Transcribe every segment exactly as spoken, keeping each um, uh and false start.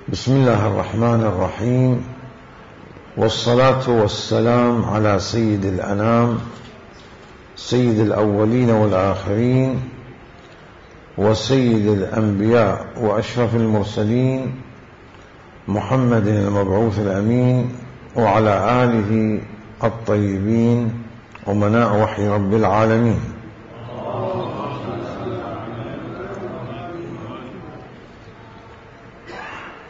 بسم الله الرحمن الرحيم، والصلاة والسلام على سيد الأنام سيد الأولين والآخرين وسيد الأنبياء وأشرف المرسلين محمد المبعوث الأمين وعلى آله الطيبين أمناء وحي رب العالمين.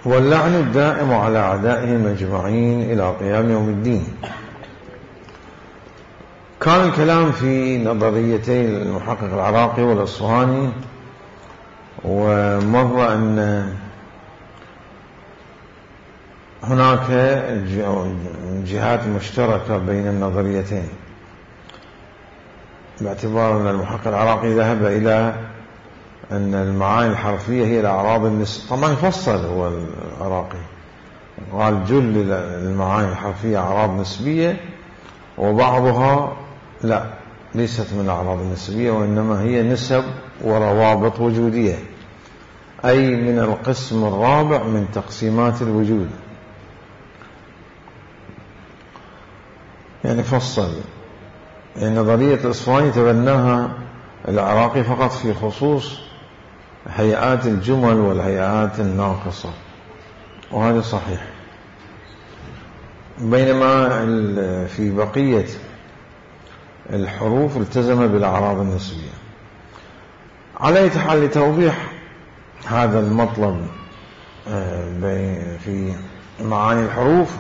واللعن الدائم على أعدائهم أجمعين إلى قيام يوم الدين. كان الكلام في نظريتي المحقق العراقي والأصفهاني، ومر أن هناك جهات مشتركة بين النظريتين، باعتبار أن المحقق العراقي ذهب إلى أن المعاني الحرفية هي الأعراض النسبية. طبعا فصل هو العراقي، قال جل المعاني الحرفية أعراض نسبية، وبعضها لا، ليست من الأعراض النسبية، وإنما هي نسب وروابط وجودية، أي من القسم الرابع من تقسيمات الوجود. يعني فصل، يعني نظرية الأصفهاني تبناها العراقي فقط في خصوص هيئات الجمل والهيئات الناقصة، وهذا صحيح، بينما في بقية الحروف التزم بالأعراض النسبية. على أي حال، لتوضيح هذا المطلب في معاني الحروف،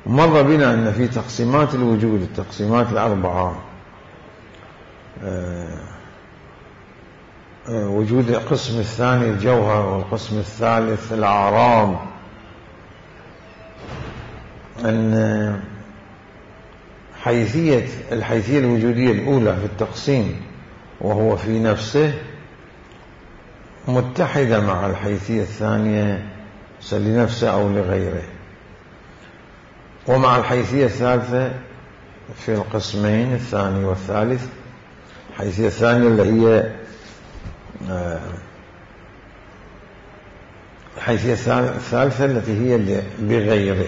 مر بنا أن في تقسيمات الوجود، التقسيمات الأربعة، وجود القسم الثاني الجوهر، والقسم الثالث الأعراض، أن حيثية الحيثية الوجودية الأولى في التقسيم وهو في نفسه متحدة مع الحيثية الثانية لنفسه أو لغيره، ومع الحيثية الثالثة في القسمين الثاني والثالث. الحيثية الثانية اللي هي الحيثية الثالثة التي هي بغيره.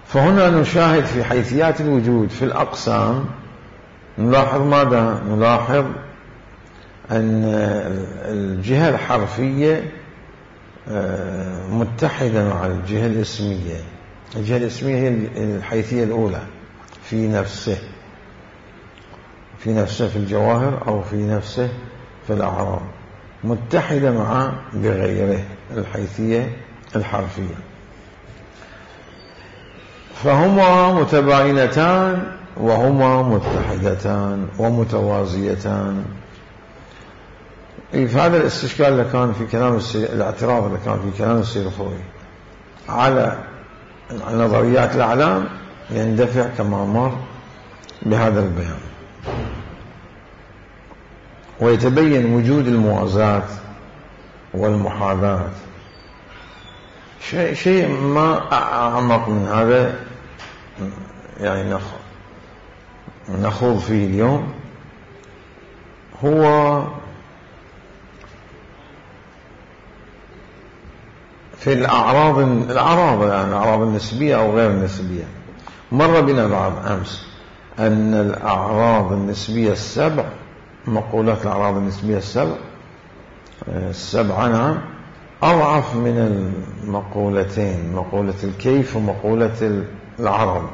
فهنا نشاهد في حيثيات الوجود في الأقسام، نلاحظ ماذا؟ نلاحظ أن الجهة الحرفية متحدة مع الجهة الاسمية. الجهة الاسمية هي الحيثية الأولى في نفسه، في نفسه في الجواهر أو في نفسه في الأعراض، متحدة مع بغيره الحيثية الحرفية. فهما متباينتان وهما متحدتان ومتوازيتان. في هذا الاستشكال اللي كان في كلام الاعتراض اللي كان في كلام السيرفوري على نظريات الأعلام يندفع كما مر بهذا البيان، ويتبين وجود الموازاة والمحاذاة. شيء شيء ما أعمق من هذا يعني نخوض فيه اليوم، هو في الأعراض الأعراض يعني الأعراض النسبية أو غير النسبية. مر بنا بعد أمس أن الأعراض النسبية السبع، مقولات الأعراض النسبية السبع السبعة نعم، أضعف من المقولتين، مقولة الكيف ومقولة العرض،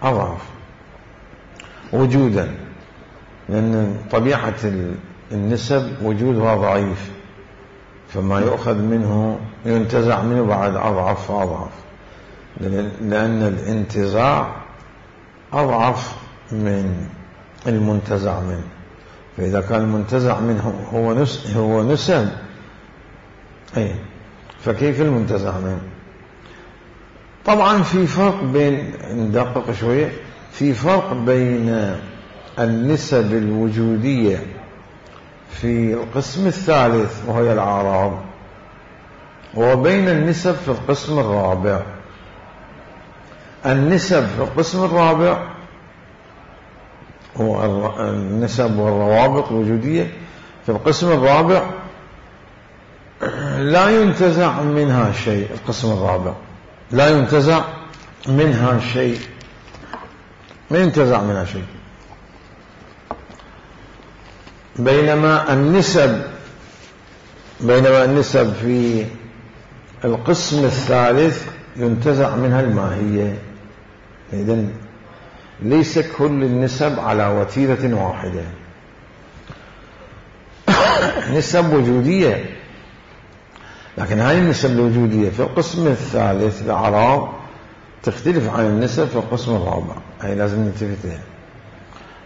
أضعف وجودا، لأن طبيعة النسب وجودها ضعيف، فما يؤخذ منه ينتزع منه بعد أضعف فأضعف، لأن الانتزاع أضعف من المنتزع منه. فإذا كان المنتزع منه هو نسب هو نسب أي فكيف المنتزع منه؟ طبعا في فرق بين، ندقق شوية، في فرق بين النسب الوجودية في القسم الثالث وهي الأعراض، وبين النسب في القسم الرابع. النسب في القسم الرابع هو النسب والروابط الوجودية في القسم الرابع لا ينتزع منها شيء. القسم الرابع لا ينتزع منها شيء، ما ينتزع منها شيء. بينما النسب بينما النسب في القسم الثالث ينتزع منها الماهية. إذن ليس كل النسب على وتيرة واحدة. نسب وجودية، لكن هذه النسب الوجودية في القسم الثالث الأعراب تختلف عن النسب في القسم الرابع، هي لازم ننتبه،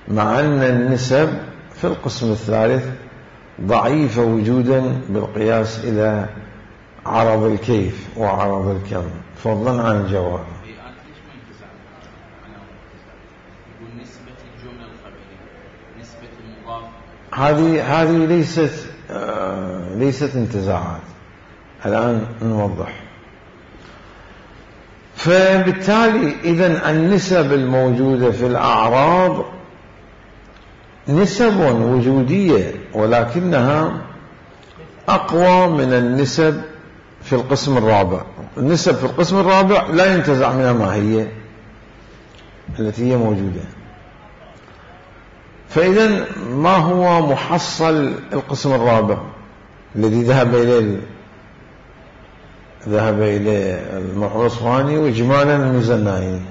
مع أن النسب في القسم الثالث ضعيفة وجودا بالقياس إلى عرض الكيف وعرض الكم فضلا عن الجواب. هذه هذه ليست آه ليست انتزاعات. الآن نوضح. فبالتالي إذن النسب الموجودة في الأعراض نسب وجودية، ولكنها أقوى من النسب في القسم الرابع. النسب في القسم الرابع لا ينتزع منها ماهية التي هي موجودة. فإذن ما هو محصل القسم الرابع الذي ذهب إليه ذهب إليه المحور الأصفهاني وإجمالا المزنائي؟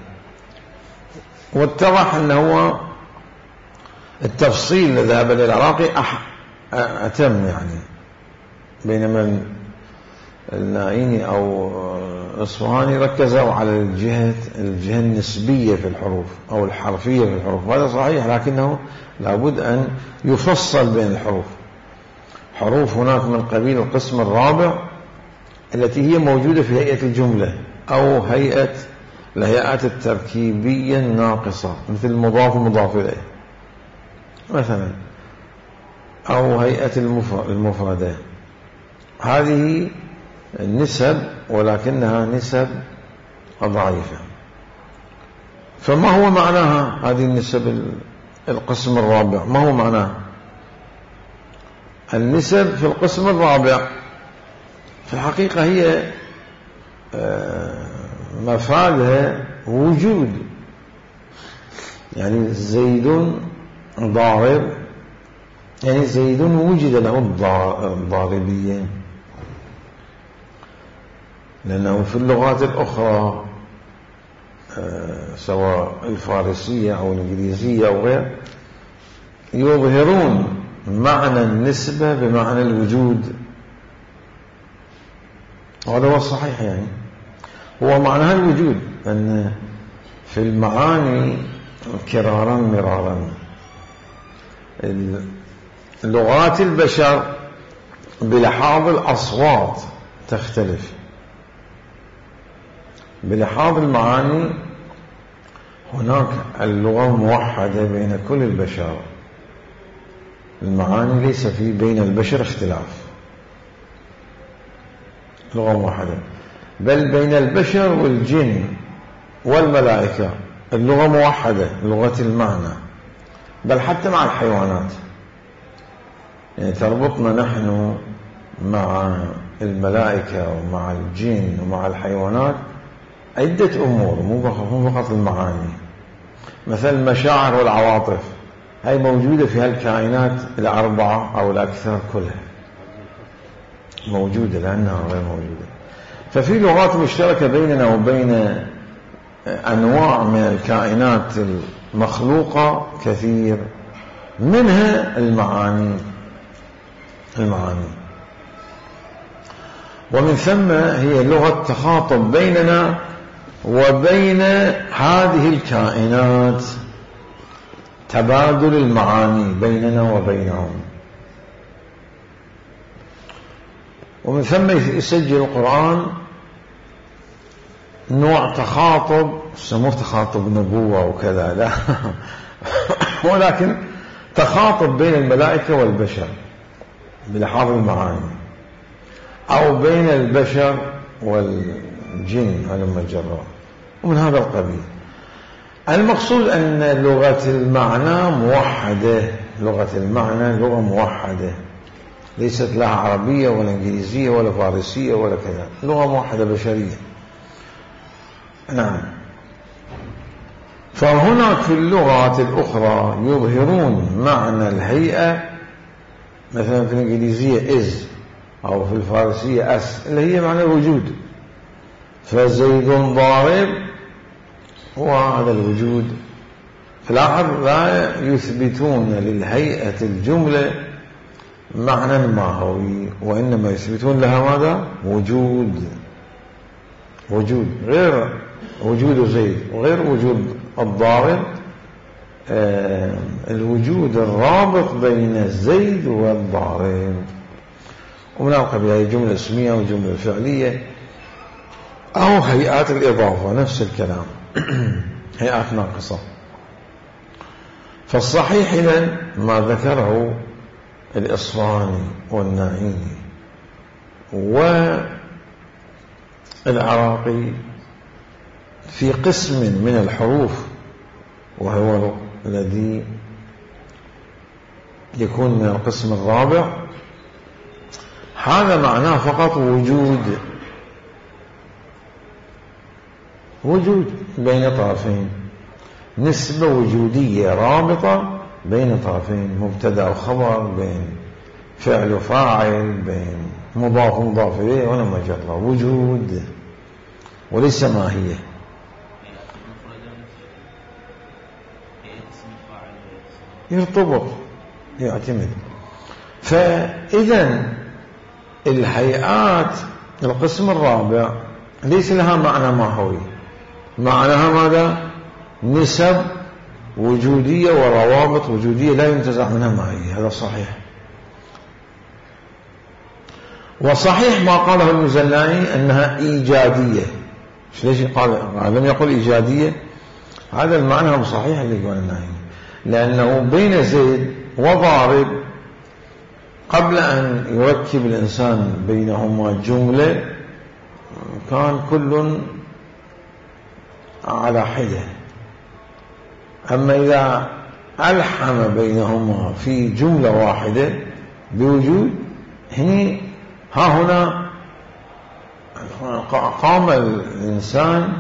واتضح أنه التفصيل الذي ذهب إليه العراقي أتم، يعني بينما النائيني أو الأصفهاني ركزوا على الجهة الجهة النسبية في الحروف أو الحرفية في الحروف، وهذا صحيح، لكنه لابد أن يفصل بين الحروف. حروف هناك من قبيل القسم الرابع التي هي موجودة في هيئة الجملة أو هيئة الهيئات التركيبية الناقصة، مثل المضاف ومضاف إليه مثلا، أو هيئة المفردة. هذه النسب ولكنها نسب ضعيفة. فما هو معناها هذه النسب القسم الرابع؟ ما هو معناها النسب في القسم الرابع؟ في الحقيقة هي مفادها وجود، يعني زيد ضارب، يعني زيد وجد له الضاربية، لأنه في اللغات الأخرى سواء الفارسية أو الإنجليزية أو غير يظهرون معنى النسبة بمعنى الوجود، وهذا هو الصحيح، يعني هو معناها الوجود. أن في المعاني كرارا مرارا لغات البشر بلحاظ الأصوات تختلف، بلحاظ المعاني هناك اللغة موحدة بين كل البشر، المعاني ليس في بين البشر اختلاف، لغة موحدة، بل بين البشر والجن والملائكة اللغة موحدة، لغة المعنى، بل حتى مع الحيوانات. يعني تربطنا نحن مع الملائكة ومع الجن ومع الحيوانات عدة أمور، مو فقط المعاني. مثل المشاعر والعواطف هي موجودة في هالكائنات الأربعة أو الأكثر كلها موجودة، لأنها غير موجودة. ففي لغات مشتركة بيننا وبين أنواع من الكائنات المخلوقة كثير، منها المعاني المعاني ومن ثم هي لغة تخاطب بيننا وبين هذه الكائنات، تبادل المعاني بيننا وبينهم. ومن ثم يسجل القرآن نوع تخاطب سموه تخاطب نبوة وكذا، لا ولكن تخاطب بين الملائكة والبشر بلحاظ المعاني، أو بين البشر والجن هلم الجرار، ومن هذا القبيل. المقصود أن لغة المعنى موحدة، لغة المعنى لغة موحدة، ليست لها عربية ولا إنجليزية ولا فارسية ولا كذا، لغة موحدة بشرية. نعم. فهناك في اللغات الأخرى يظهرون معنى الهيئة، مثلا في الإنجليزية is، أو في الفارسية أس، اللي هي معنى الوجود. فزيد ضارب هو هذا الوجود. في الآخر لا يثبتون للهيئة الجملة معنى ماهوي، وإنما يثبتون لها ماذا؟ وجود. وجود غير وجود زيد وغير وجود الضارب. آه الوجود الرابط بين زيد والضارب. ومن القبيل هي جملة اسمية وجملة فعلية أو هيئات الإضافة، نفس الكلام. هيئات ناقصة. فالصحيح إذن ما ذكره الإصفهاني والناعيني والعراقي في قسم من الحروف، وهو الذي يكون من القسم الرابع، هذا معناه فقط وجود. وجود بين طرفين، نسبة وجودية رابطة بين طرفين، مبتدأ وخبر، بين فعل وفاعل، بين مضاف ومضاف إليه، ولا مجرد وجود وليس ماهية. يرتبط، يعتمد. فإذا الهيئات القسم الرابع ليس لها معنى ماهوي، معناها ماذا؟ نسب وجودية وروابط وجودية لا ينتزع منها ماهية. هذا صحيح. وصحيح ما قاله المزناني أنها إيجادية. ليش قال لم يقل إيجادية؟ هذا المعنى هو صحيح اللي يقول الناهي، لأنه بين زيد وضارب قبل أن يركب الإنسان بينهما جملة كان كل على حدة. أما إذا ألحم بينهما في جملة واحدة بوجود، هني ها هنا قام الإنسان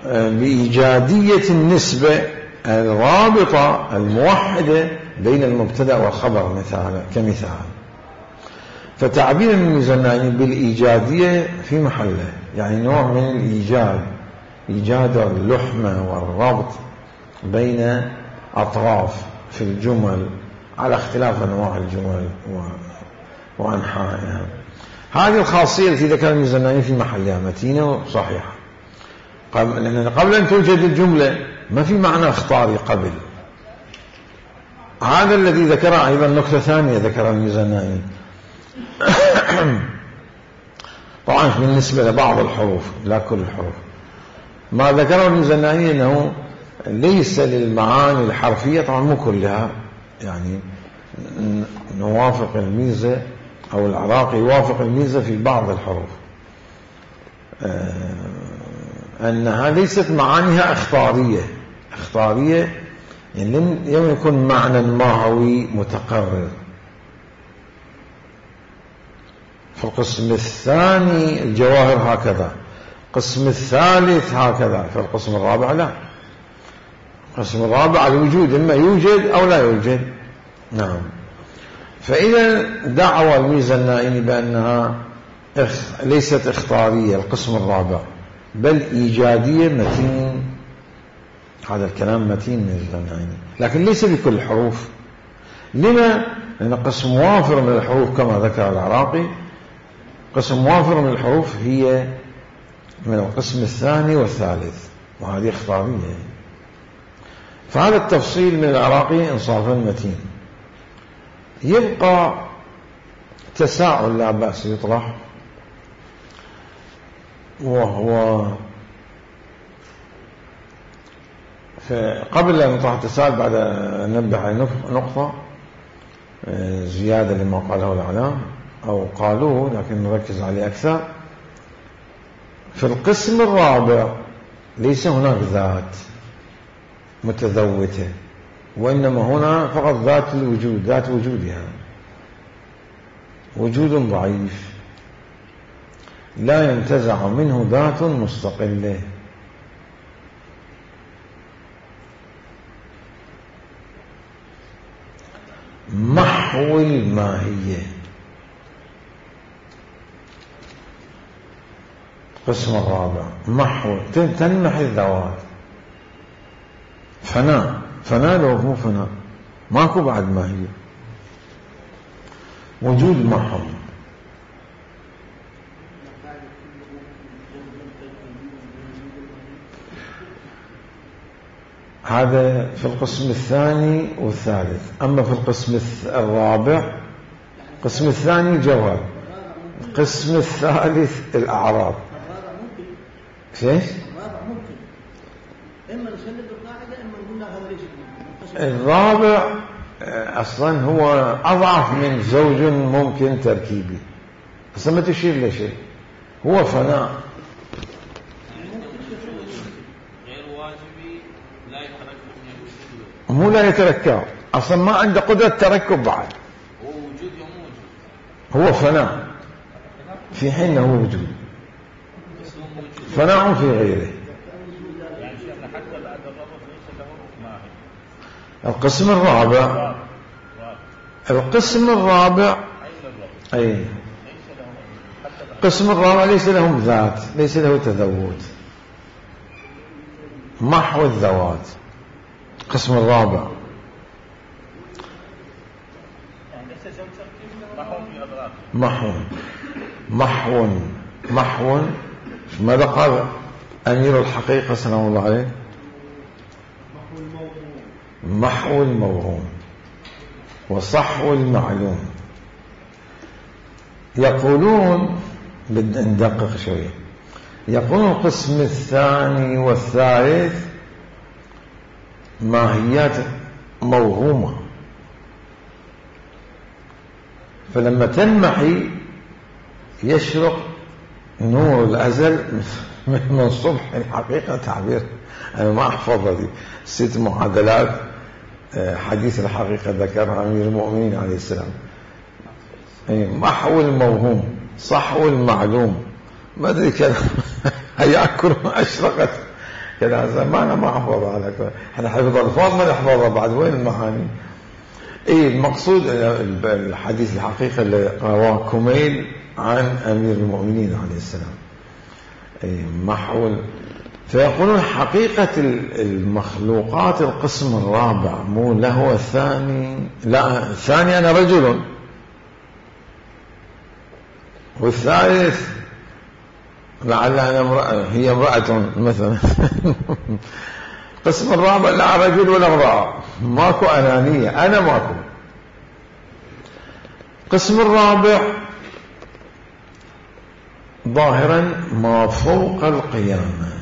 بإيجادية النسبة الرابطة الموحدة بين المبتدأ والخبر مثلا كمثال. فتعبير المزناني بالإيجادية في محله، يعني نوع من الإيجاد، إيجاد اللحمة والربط بين أطراف في الجمل على اختلاف أنواع الجمل وأنحائها. هذه الخاصية التي ذكر المزناني في محلها متينة وصحيحة، لأن قبل أن توجد الجملة ما في معنى اختاري قبل. هذا الذي ذكره أيضا نكتة ثانية ذكر المزناني طبعا بالنسبة لبعض الحروف لا كل الحروف. ما ذكره المزناني أنه ليس للمعاني الحرفية، طبعا مو كلها، يعني نوافق الميزة أو العراقي يوافق الميزة في بعض الحروف، أنها ليست معانيها اختارية. اختارية يعني لم يكن معنى ماهوي متقرر. في القسم الثاني الجواهر هكذا، القسم الثالث هكذا، في القسم الرابع لا. القسم الرابع الوجود، إما يوجد أو لا يوجد. نعم. فإذا دعوى الميزنائي بأنها ليست اختارية القسم الرابع بل إيجادية متين. هذا الكلام متين من الميزنائي، لكن ليس بكل الحروف. لما؟ لأن قسم وافر من الحروف كما ذكر العراقي، قسم وافر من الحروف هي من القسم الثاني والثالث، وهذه اختارية. فهذا التفصيل من العراقي إنصافا متين. يبقى تساؤل لا بأس يطرح، وهو قبل أن نطرح التساؤل بعد أن ننبه على نقطة زيادة لما قاله الإعلام أو قالوه لكن نركز عليه أكثر. في القسم الرابع ليس هناك ذات متذوته، وإنما هنا فقط ذات الوجود، ذات وجودها. وجود ضعيف لا ينتزع منه ذات مستقلة. محو الماهية. القسم الرابع محو، تنمحي الذوات. فناء، فناء لو مو فناء ماكو بعد ماهية. وجود محو، هذا في القسم الثاني والثالث. أما في القسم الرابع، القسم الثاني جوهر، القسم الثالث الأعراض. ايش؟ الرابع أصلا هو أضعف من زوج ممكن تركيبي، بس ما تشير لشيء، هو فناء مو لا يتركب، أصلا ما عنده قدرة تركب بعد، هو فناء في حين هو وجود، فناء في غيره. القسم الرابع، القسم الرابع أي القسم الرابع ليس لهم ذات، ليس له تذوت، محو الذوات. القسم الرابع محو محو محو ماذا قال أمير الحقيقة سلام الله عليه؟ محو الموهوم وصحو المعلوم. يقولون، بدنا ندقق شوية، يقولون القسم الثاني والثالث ماهيات موهومة، فلما تنمحي يشرق نور الأزل من الصبح. الحقيقة تعبير أنا ما أحفظ هذه ست معادلات حديث الحقيقة ذكرها أمير المؤمنين عليه السلام. محو الموهوم صحو المعلوم، ما أدري كذا هيأكل ما أشرقت كذا زمان ما أحفظها على كذا. احنا حفظ الفاظ ما نحفظها بعد، وين المعاني؟ ايه المقصود الحديث الحقيقة اللي رواه كميل عن أمير المؤمنين عليه السلام. ايه محو. فيقولون حقيقة المخلوقات القسم الرابع مو له الثاني، لا الثاني أنا رجل، والثالث لعل أنا امرأة هي امرأة مثلا. القسم الرابع لا رجل ولا امرأة، ماكو أنانية، أنا ماكو. القسم الرابع ظاهرا ما فوق القيامة.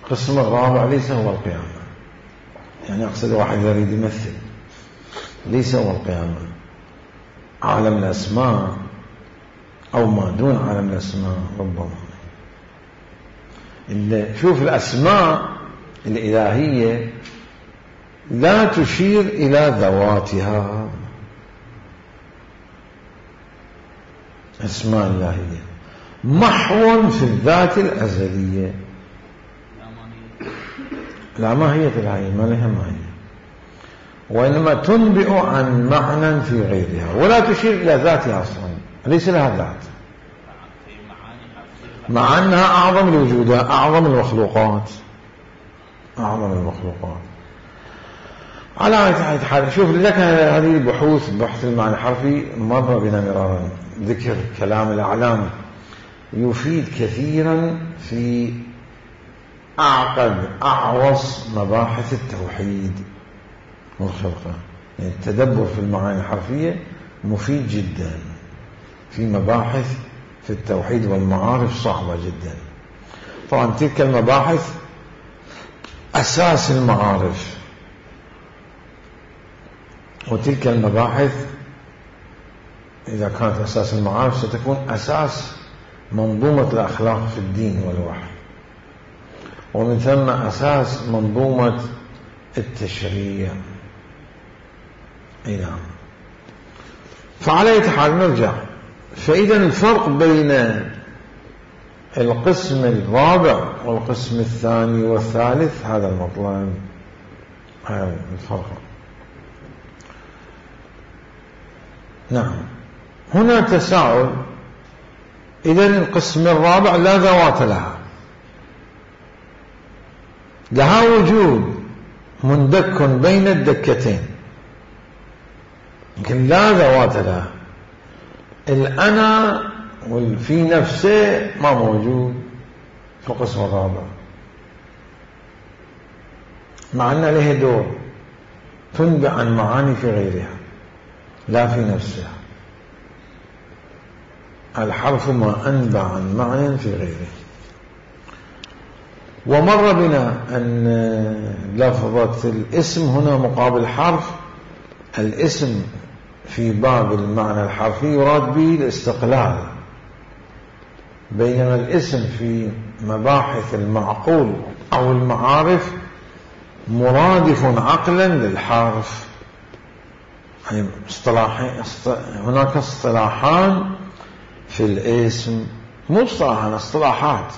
القسم الرابع ليس هو القيامة، يعني أقصد واحد يريد يمثل، ليس هو القيامة، عالم الأسماء أو ما دون عالم الأسماء ربما. شوف الأسماء الإلهية لا تشير إلى ذواتها، أسماء إلهية محو في الذات الأزلية، لا ماهية الهية، ما لها ماهية، وإنما تنبئ عن معنى في غيرها ولا تشير إلى ذاتها أصلا، ليس لها ذات، مع أنها أعظم الوجودات، أعظم المخلوقات، أعظم المخلوقات. على أي حال شوف لك هذه البحوث، بحث المعنى الحرفي مر بنا مرارا، ذكر كلام الأعلام يفيد كثيرا في أعقد أعوص مباحث التوحيد والخلقة. يعني التدبر في المعاني الحرفية مفيد جدا في مباحث في التوحيد والمعارف صعبة جدا. طبعا تلك المباحث أساس المعارف، وتلك المباحث إذا كانت أساس المعارف ستكون أساس منظومة الأخلاق في الدين والوحي، ومن ثم أساس منظومة التشريع. أي نعم. فعلى أي حال نرجع. فإذا الفرق بين القسم الرابع والقسم الثاني والثالث هذا المطلب، هذا الفرق. نعم. هنا تساؤل. إذا القسم الرابع لا ذوات لها، لها وجود مندك بين الدكتين لكن لا ذوات لها. الأنا والفي نفسه ما موجود في القسم الرابع، مع أن له دور تنبع عن معاني في غيرها لا في نفسها. الحرف ما أنبع عن معنى في غيره. ومر بنا أن لفظة الاسم هنا مقابل حرف. الاسم في باب المعنى الحرفي يراد به الاستقلال، بينما الاسم في مباحث المعقول أو المعارف مرادف عقلا للحرف. يعني هناك اصطلاحان في الاسم، مو اصطلاحان، اصطلاحات.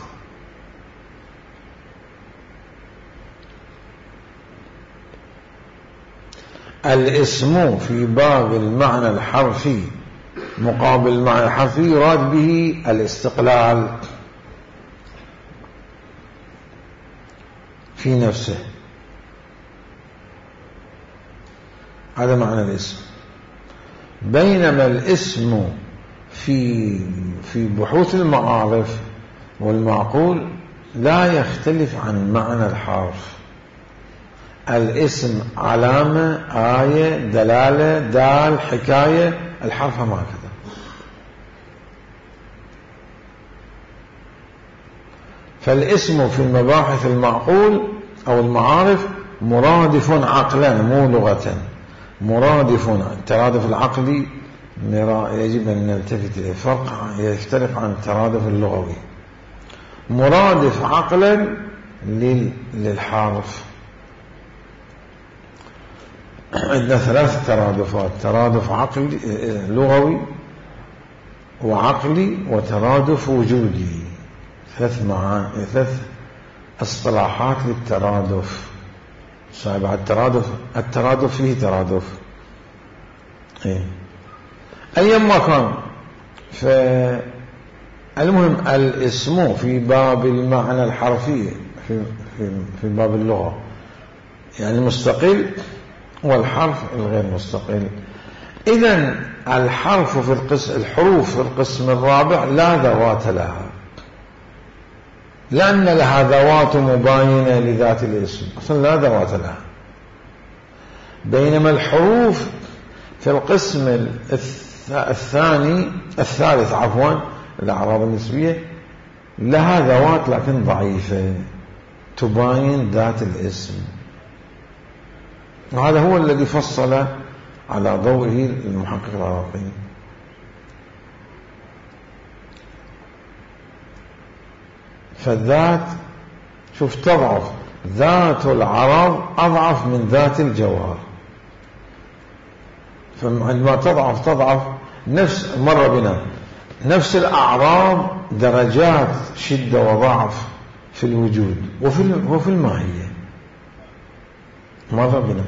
الاسم في باب المعنى الحرفي مقابل المعنى الحرفي يراد به الاستقلال في نفسه، هذا معنى الاسم. بينما الاسم في في بحوث المعارف والمعقول لا يختلف عن معنى الحرف. الاسم علامة، آية، دلالة، دال، حكاية. الحرف ما هكذا. فالاسم في المباحث المعقول أو المعارف مرادف عقلا مو لغة، مرادف. الترادف العقلي يجب أن نلتفت إليه، فرق يختلف عن الترادف اللغوي. مرادف عقلا للحرف. عندنا ثلاث ترادفات: ترادف عقلي لغوي وعقلي وترادف وجودي. ثلاث معاني، ثلاث اصطلاحات للترادف. صعب الترادف، الترادف فيه ترادف. ايه ايما كان. فالمهم الاسم في باب المعنى الحرفي في في في باب اللغة يعني مستقل، والحرف الغير مستقل. إذن الحرف في القسم الحروف في القسم الرابع لا ذوات لها، لأن لها ذوات مباينة لذات الاسم، أصلا لا ذوات لها. بينما الحروف في القسم الثاني الثالث عفوا الأعراب النسبية لها ذوات لكن ضعيفة تباين ذات الاسم. وهذا هو الذي فصل على ضوئه المحقق العراقي. فالذات شوف تضعف، ذات العرب أضعف من ذات الجوهر. فعندما تضعف تضعف نفس مر بنا نفس الأعراب درجات شدة وضعف في الوجود وفي وفي الماهية. مر بنا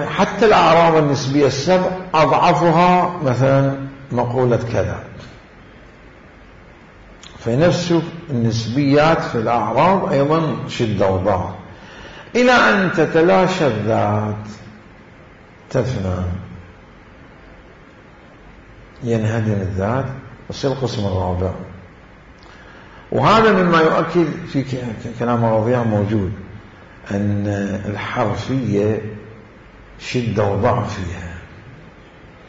حتى الأعراب النسبية السبع أضعفها مثلا مقولة كذا. فنفس النسبيات في الأعراب أيضا شدة وضعف، إلى أن تتلاشى الذات تفنى، ينهدم الذات ويصير القسم الرابع. وهذا مما يؤكد في كلام الرضيع موجود أن الحرفية شدة وضعف فيها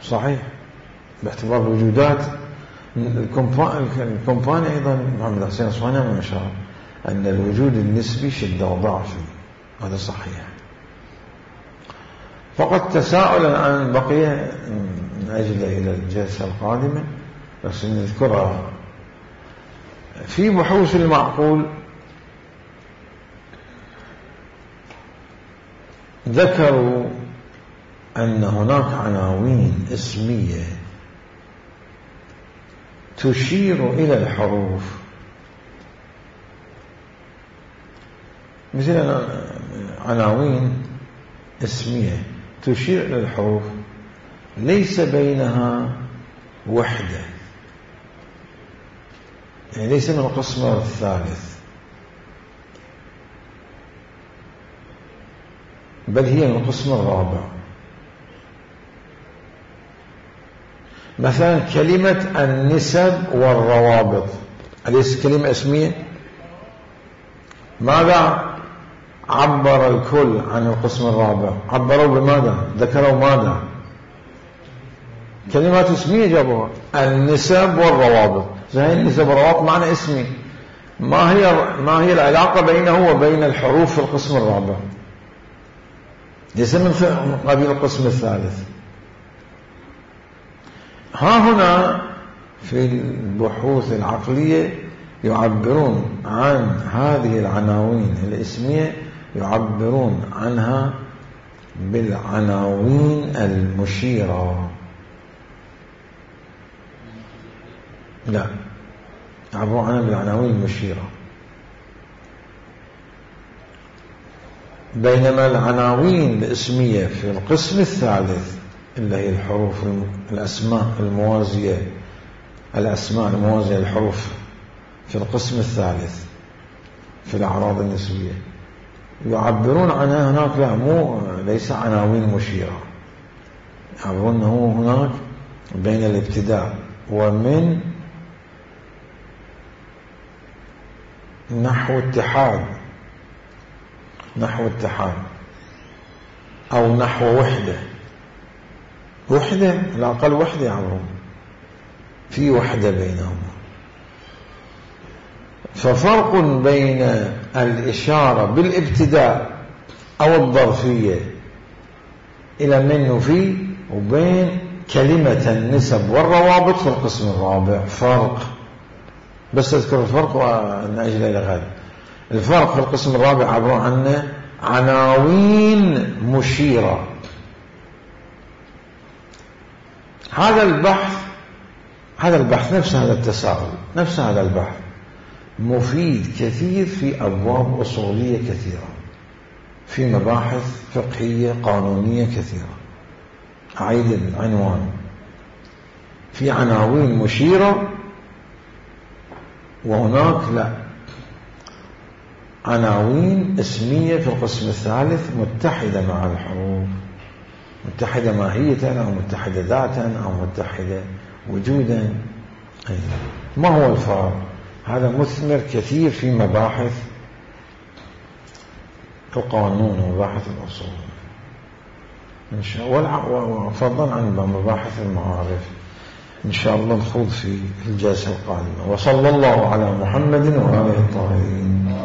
صحيح، باعتبار الوجودات. الكومباني أيضا محمد حسين الصواني من أشار أن الوجود النسبي شدة وضعف فيه، هذا صحيح. فقط تساؤل الآن بقي من أجل إلى الجلسة القادمة بس نذكرها. في بحوث المعقول ذكروا أن هناك عناوين اسمية تشير إلى الحروف، مثل عناوين اسمية تشير إلى الحروف ليس بينها وحدة، يعني ليس من القسم الثالث، بل هي من القسم الرابع. مثلا كلمة النسب والروابط، أليس كلمة اسمية؟ ماذا عبر الكل عن القسم الرابع؟ عبروا بماذا؟ ذكروا ماذا؟ كلمات اسمية جابوها، النسب والروابط. زي النسب والروابط معنى اسمي، ما هي ما هي العلاقة بينه وبين الحروف في القسم الرابع؟ ليس من قبيل القسم الثالث. ها هنا في البحوث العقلية يعبرون عن هذه العناوين الاسمية، يعبرون عنها بالعناوين المشيرة. لا، يعبرون عنها بالعناوين المشيرة، بينما العناوين الاسمية في القسم الثالث اللي هي الحروف الأسماء الموازية، الأسماء الموازية للحروف في القسم الثالث في الأعراض النسبية يعبرون عنها هناك، لا مو ليس عناوين مشيرة، يعبرون أنه هناك بين الابتداء ومن نحو اتحاد، نحو اتحاد أو نحو وحدة، وحدة على الأقل وحدة يعبرون في وحدة بينهم. ففرق بين الإشارة بالابتداء أو الظرفية إلى من وفي، وبين كلمة النسب والروابط في القسم الرابع فرق. بس أذكر الفرق ونأجل إلى غد. الفرق في القسم الرابع عبارة عن عناوين مشيرة. هذا البحث هذا البحث نفس هذا التساؤل، نفس هذا البحث مفيد كثير في أبواب أصولية كثيرة، في مباحث فقهية قانونية كثيرة. أعيد العنوان، في عناوين مشيرة، وهناك لا عناوين اسمية في القسم الثالث متحدة مع الحروف، متحدة ماهية أو متحدة ذاتا أو متحدة وجودا. ما هو الفرق؟ هذا مثمر كثير في مباحث القانون ومباحث الأصول إن شاء الله، وفضلا عن مباحث المعارف إن شاء الله نخوض في الجلسة القادمة. وصلى الله على محمد وآله الطاهرين.